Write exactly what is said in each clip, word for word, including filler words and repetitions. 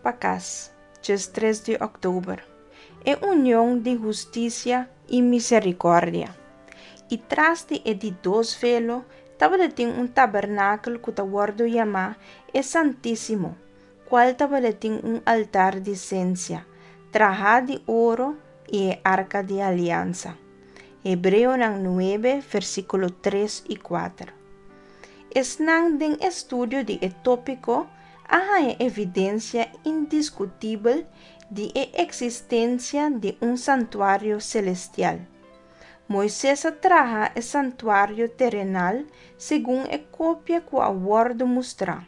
pa kas, diestres di òktober. E union di hustisia i miserikòrdia. I tras di e di dos velo tabatin un tabernakel ku ta wòrdu yamá e Santísimo, kual tabatin un altar di sensia, trahá di oro i e arka di aliansa. Hebreonan nuebe, versíkulo tres i kuater. Esnan den estudio di e tópiko a haña evidensia indiskutibel di e eksistensia di un santuario selestial. Moises a traha e santuario terenal segun e kopia ku a wòrdu mustrá.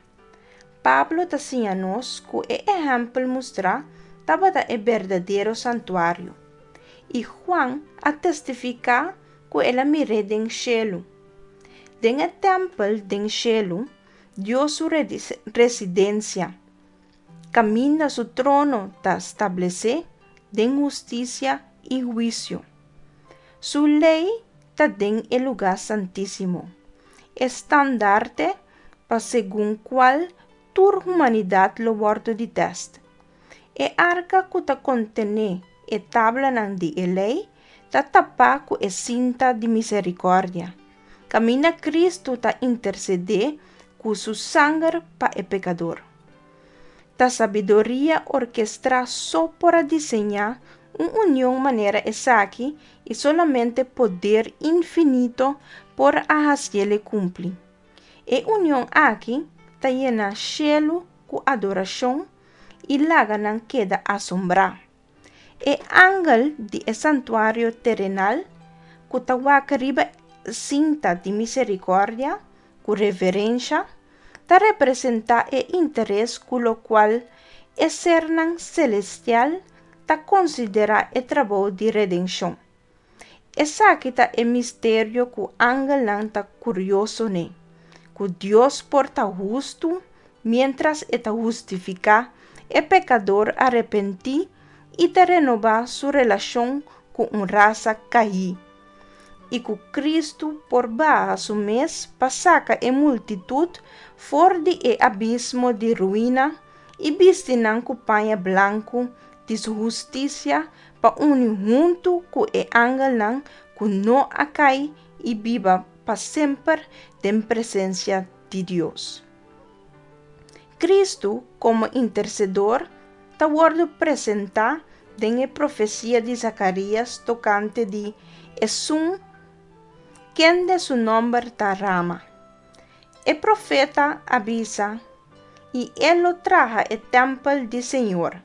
Pablo ta siña nos ku e ehèmpel mustrá tabata e berdadero santuario. I Juan a testifiká ku el a mir'é den shelu. Den e tèmpel den shelu, Dios su residensia, kaminda su trono ta establesé den hustisia i huisio. Su lei ta den e lugá santísimo, e standarte pa segun kual tur humanidat lo wòrdu di tèst. E arka ku ta kontené e tablanan di e lei ta tapá ku e sinta di miserikòrdia, kaminda Kristu ta intersedé ku su sanger pa e pekador. Ta sabiduria orkestrá so por a diseñá un union manera esaki i solamente poder infinito por a hasié kumpli. E union aki ta yena shelu ku adorashon i laga nan keda asombrá. E angel di e santuario terenal ku ta wak riba sinta di miserikòrdia ku reverensia ta representá e interes ku lokual e sernan selestial ta konsiderá e trabou di redenshon. Esaki ta e misterio ku angelnan ta kurioso n'e, ku Dios por ta hustu miéntras e ta hustifiká e pekador arepentí i ta renobá su relashon ku un rasa kaí, i ku Kristu por baha su mes pa saka e multitut for di e abismo di ruina i bisti nan ku paña blanku di su hustisia pa uni huntu ku e angelnan ku no a kai i biba pa semper den presensia di Dios. Kristu komo intersedor ta wòrdu presentá den e profesia di Zakarias tokante di esun kende su nòmber ta Rama. E profeta a bisa, i e lo traha e tèmpel di Señor,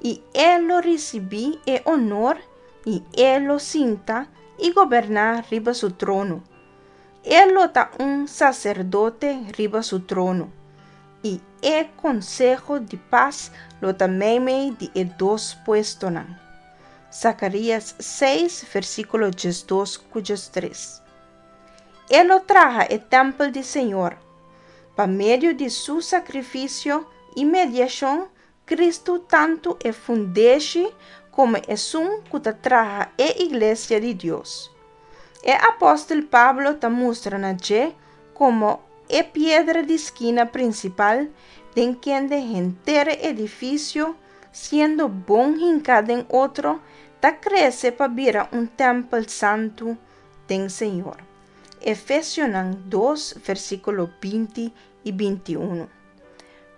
i e lo risibí e honor, i e lo sinta i goberná riba su trono. E lo ta un saserdote riba su trono, i e konseho di pas lo ta meimei di e dos puestonan. Zakarias seis, versíkulo diesdos ku diestres. E lo traha e tèmpel di Señor. Pa medio di su sakrifisio i mediashon, Kristu tantu e fundeshi komo esun ku ta traha e iglesia di Dios. E apòstel Pablo ta mustra na dje komo e piedra di skina prinsipal den kende henter e edifisio, siendo bon hinká den otro, ta krese pa bira un tèmpel santu den Señor. Efesionan dos, versíkulo binti i bintiun.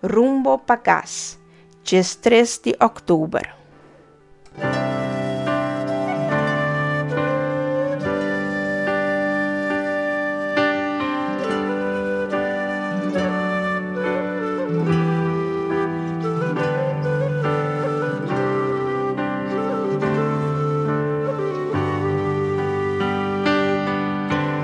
Rumbo pa kas, diestres di òktober.